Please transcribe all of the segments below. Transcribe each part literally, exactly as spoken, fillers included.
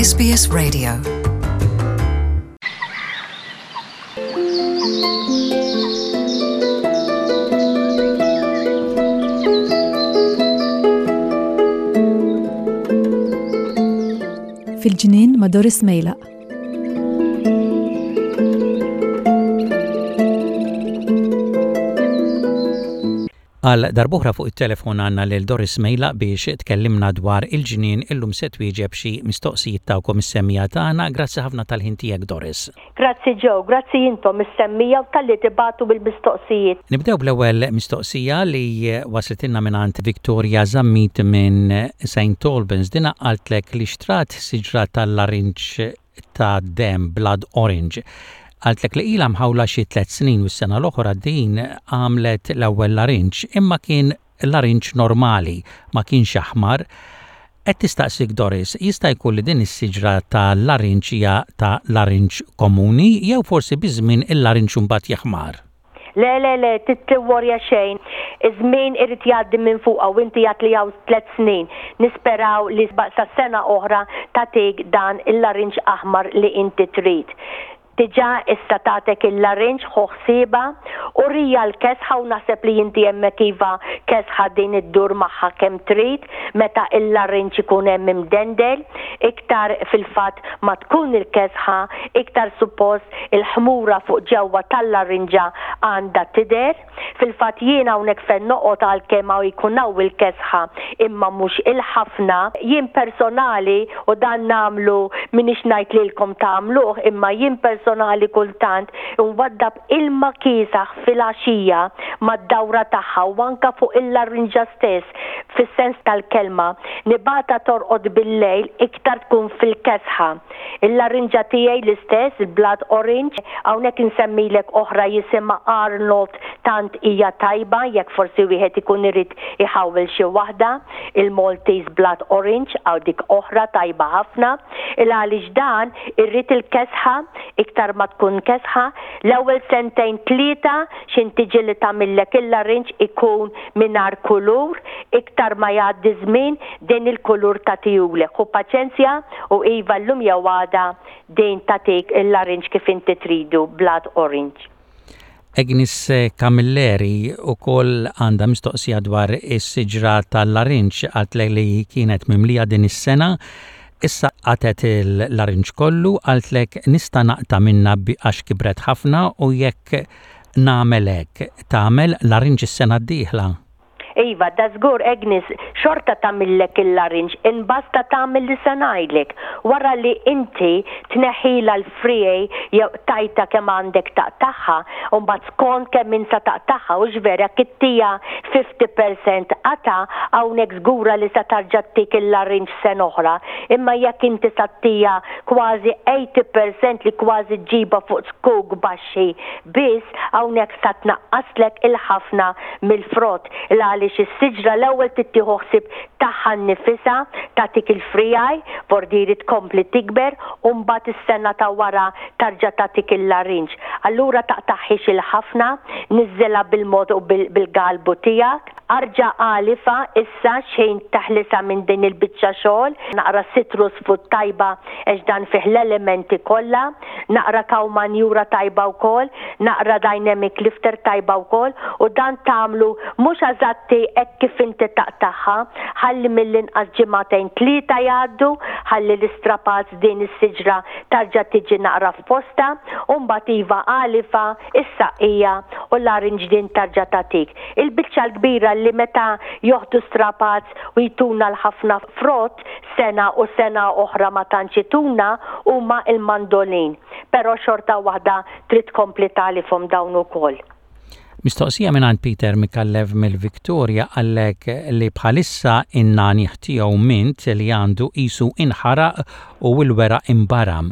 S B S Radio. Fil-ġnien ma' Doris Mejlaq. Għal darb'oħra fuq it-telefon għandna lil Doris Mejlaq biex tkellimna dwar il-ġnien. Illum se twieġeb xi mistoqsijiet tagħkom, is-semmiegħa tagħna. Grazzi ħafna tal-ħin tiegħek, Doris. Grazzi Joe, grazzi intom is-semmiegħa u talli tibagħtu bil-mistoqsijiet. Nibdew bl-ewwel mistoqsija li waslitilna mingħand Victoria Zammit minn Saint Albans. Dina qaltlek li xtrat siġra tal-larinġ tad-demm, blood orange. Qaltlek li ilha mħawla xi tliet snin u s-sena l-oħra din għamlet l-ewwel larinġ, imma kien larinġ normali, ma kienx aħmar. Qed tistaqsik, Doris, jista' jkun li din is-siġra ta' larinġ hija ta' larinġ komuni jew forsi biż-żmien il-larinġ mbagħad jaħmar? Le, le, le, titworja xejn. Iż-żmien irid jgħaddi minn fuqha u inti għedt li hawn tliet snin. Nisperaw li sa sena oħra tagħtik dan il-larinġ aħmar li inti trid. Diġà issa tatek il-larinġ, ħu ħsiebha u rija l-kesħa u naħseb li inti hemmhekk iva kesħa din iddur magħha kemm trid meta il-larinġ ikun hemm imdendel. Iktar fil-fatt ma tkun il-kesħa, iktar suppost il-ħmura fuq ġewwa tal-larinġa għandha tidher. Fil-fatt jien hawnhekk fejn noqgħod, għalkemm hawn jkun hawn il-kesħa imma mhux il-ħafna, jien personali, u dan nagħmlu, m'iniex ngħid lilkom tagħmluh, imma jien personali kultant nwaddab ilma kiesaħ fil-għaxija mad-dawra tagħha u anka fuq il-larinġa stess, fis-sens tal-kelma nibgħatha torqod bil-lejl iktar tkun fil-kesħa. Il-larinġa tiegħi l-istess, il-blood orange, hawnhekk insemmilek oħra jisimha Arnold, tant hija tajba jekk forsi wieħed ikun irid iħawel xi waħda, il-Maltese blood orange għaw dik oħra tajba ħafna. Il għaliex dan irrid il-kesħa, iktar ma tkun kesħa, l-ewwel sentejn tlieta xin tiġi li tagħmillek il-larinġ ikun mingħajr kulur, iktar ma jgħaddi żmien din il-kulur tagħtihulek. Ħu paċenzja u iva, llum jew għada din tagħtik il-larinġ kif inti tridu, blood orange. Agnes Camilleri ukoll għandha mistoqsija dwar is-siġra tal-larinġ. Qaltlek li kienet mimlija din is-sena, issa qatgħet il-larinġ kollu. Qaltlek, nista' naqta' minna għax kibret ħafna u jekk nagħmel hekk tagħmel larinġ is-sena d-dieħla? Iva, da żgur, Agnes, xorta tagħmillek il-larinġ, imbasta tagħmel li se ngħidlek. Wara li inti tneħħila l-friegħi jew tajta kemm għandek taqtagħha, u mbagħad skont kemm insa taqtagħha, u vera kittija fifty percent qata, hawnhekk żgura li sa tarġa' ttik il-larinġ sena oħra. Imma jekk inti sattija kważi eighty percent li kważi ġiba fuq zkuk baxxi biss, hawnhekk sa tnaqqaslek il-ħafna mill-frott. Għaliex is-siġra l-ewwel tittieħu ħsieb tagħha nnifisha, tagħtik il-friegħi, vordiri tkompli tikber u mbagħad is-sena ta' wara tarġa' tagħtik il-larinġ. Allura taqtagħhiex il-ħafna, niżżilha bil-mod u bil-galbu tiegħek. Arġa' għalifha issa xejn taħlisa minn din il-biċċa xogħol, naqra citrus food tajba għax dan fih l-elementi kollha, naqra cow manure tajba wkoll, naqra dynamic lifter tajba wkoll, u dan tagħmlu mhux eżatti hekk kif inti taqtagħha, ħalli mill-inqas ġimagħtejn tlieta jgħaddu, ħalli l-istrapazz din is-siġra tarġa' tiġi naqra f'posta, u mbagħad iva, għalifha, is-saqqija u l-larinġ din tarġa' tagħtik. Il-biċċa l-kbira li meta joħdu strapazz u jtuna l-ħafna frott sena u sena oħra ma tantx ituna huma il-mandolin. Però xorta waħda trid tkompli tagħlifhom dawn ukoll. Mistoqsija minn Peter Micallef mill-Victoria. Qallek li bħalissa in-nagħniegħ tiegħu mint li għandu qisu inħaraq u l-weraq imbaram.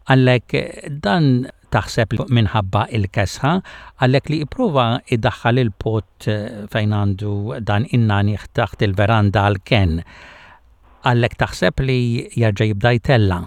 Qallek dan taħseb minħabba il-kesħa? Qallek li ipprova idaħħal il-pot fejn għandu dan in-nagħniegħ taħt il-veranda għal-ken. Qallek taħseb li jerġa' jibda jtella'?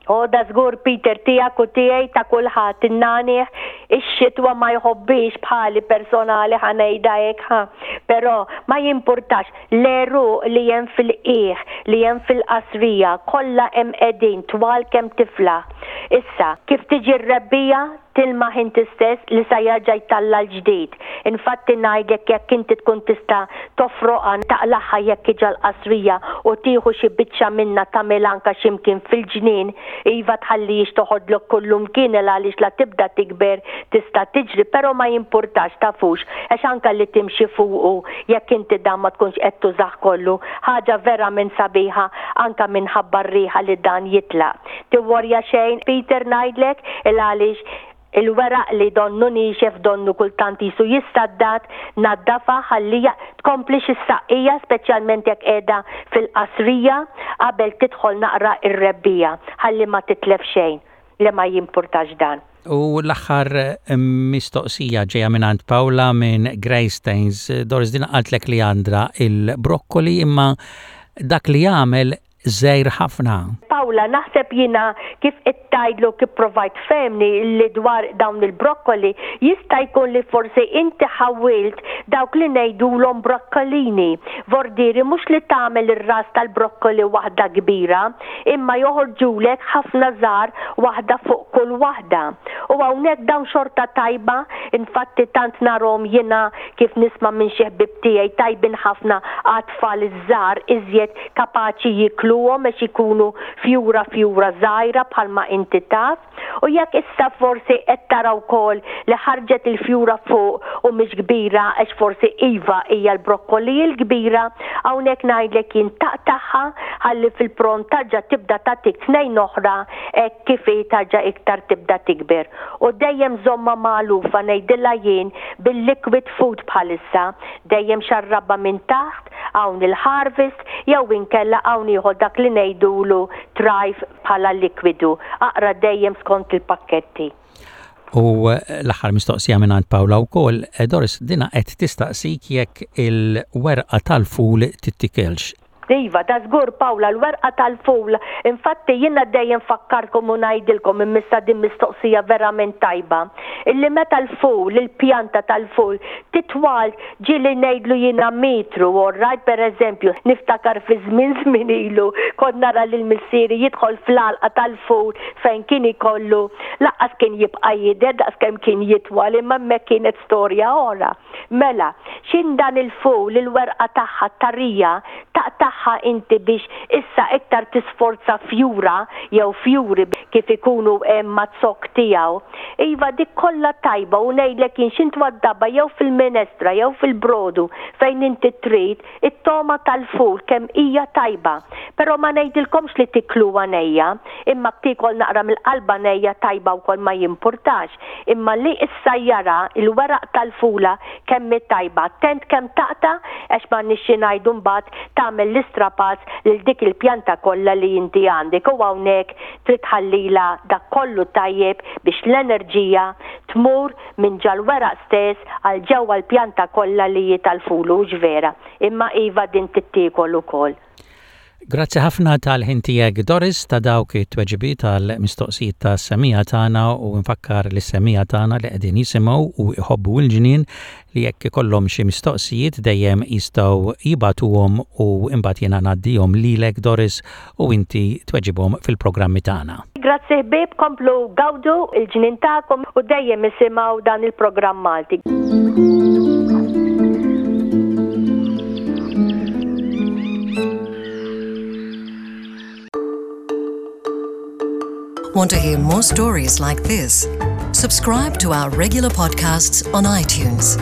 O da żgur, Peter, tiegħek u tiegħi, ta' kulħadd, in-nagħniegħ ix-xitwa ma jħobbix bħali personali, ħa ngħidha hekk ħa. Però ma jimpurtax, l-għeruq li hemm fil-qiegħ, li hemm fil-qasrija, kollha hemm qegħdin twal kemm tiflaħ. Issa, kif tiġi r-rebbiegħa, tilmaħ inti stess li sa jerġa' jtalla' l-ġdid. Infatti ngħidlek, jekk inti tkun tista' tofroqha, taqlagħha jekk iġa l-qasrija u tieħu xi biċċa minna tagħmel anka x'imkien fil-ġnien, iva, tħallix toħodlok kullu mkien għaliex la tibda tikber tista' tiġri, però ma jimpurtax, tafux, għax anka li timxi fuqu jekk inti dan ma tkunx qed tużah kollu, ħaġa verament sabiħa anka minħabba r-riħa li dan jitlaq. Tiworja xejn, Peter, ngħidlek il għaliex il-weraq li donnu nixef, donnu kultant jisu jissaddat, naddafa ħallija tkompli is-saqqija, speċjalment jekk qiegħda fil-qasrija qabel tidħol naqra ir-rebbiegħa, ħalli ma titlef xejn, li ma jimpurtax dan. U l-aħħar mistoqsija ġeja minn Paula minn Greystanes. Doris, din qaltlek li għandha il-brokkoli imma dak li jagħmel żgħir ħafna. Paula, naħseb jina kif ittajdlu, kif provajt femni li dwar dawn il-brokkoli, jista' jkun li forsi inti ħawilt dawk li ngħidulhom brokkolini. Vordiri mhux li tagħmel ir-ras tal-brokkoli waħda kbira, imma joħorġulek ħafna żgħar, waħda fuq kull waħda. U hawnhekk dawn xorta tajba, infatti tant narahom jiena, kif nisma' minn xi ħbib tiegħi, tajbin ħafna għat-tfal iż-żgħar, iżjed kapaċi jikluhom għax ikunu fjura fjura żgħira bħalma inti taf. U jekk issa forsi qed tara wkoll li ħarġet il-fjura fuq u mhix kbira għax forsi iva hija l-brokkoli l-kbira, hawnhekk ngħidlek jien taqtagħha ħalli fil-pront tarġa' tibda tagħtik tnejn oħra hekk kif hi tarġa' iktar tibda tikber. U dejjem żomma magħlufa, ngħidilha jien, bil-liquid food bħalissa, dejjem xarrabha minn taħt, hawn il-Harvest jew inkella hawn ieħor dak li ngħidulu Thrive bħala likwidu. Aqra dejjem skont il-pakketti. U l-aħħar mistoqsija minn Paula wkoll, Doris, dina qed tistaqsik jekk il-werqa tal-ful tittikelx. Iva, da żgur, Paula, l-werqa tal-ful. Infatti jiena dejjem fakkarkom u ngħidilkom, immissa din mistoqsija verament tajba. Illi meta l-ful, il-pjanta tal-ful, titwal ġieli ngħidlu jiena metru, right, per eżempju, niftakar fi żmien żmien ilu, kont nara lil missieri jidħol fl-għalqa tal-ful fejn kien ikollu, lanqas kien jibqa' jidher daqs kemm kien jitwal, imma hemmhekk kienet storja oħra. Mela, xin dan il-ful, il-werqa tagħha tarija, taqtagħha inti biex issa iktar tisforza fjura jew fjuri kif ikunu hemm maz-zokk tiegħu. Iva, dik kollha tajba u ngħidlek jien x'int waddaba jew fil-minestra jew fil-brodu fejn inti trid, it-toma tal-ful kemm hija tajba. Però ma ngħidilkomx li tikluha nejja, imma tiekol naqra mill-qalba nejja tajba wkoll, ma jimpurtax. Imma li issa jara il-weraq tal-fula kemm tajba, attent kemm taqta' għax ma nixxi ngħidu mbagħad tagħmel l-istrapazz lil dik il-pjanta kollha li inti għandek, u hawnhekk trid tħallila dak kollu tajjeb biex l-enerġija tmur minn ġal-weraq stess għal ġewwa l-pjanta kollha li hi tal-fulu vera. Imma iva, din tittiekol ukoll. Grazzi ħafna tal-ħin tiegħek, Doris, ta' dawk it-tweġibiet tal-mistoqsijiet tas-semmiegħa tagħna, u nfakkar lis-semmiegħa tagħna li qegħdin jisimgħu u jħobbu l-ġnien li jekk ikollhom xi mistoqsijiet dejjem jistgħu jibagħtuhom u imbagħad jiena ngħaddihom lilek, Doris, u inti tweġibhom fil-programmi tagħna. Grazzi ħbieb, komplu gawdu il-ġnien tagħkom u dejjem isimgħu dan il-programm Malti. Want to hear more stories like this? Subscribe to our regular podcasts on iTunes.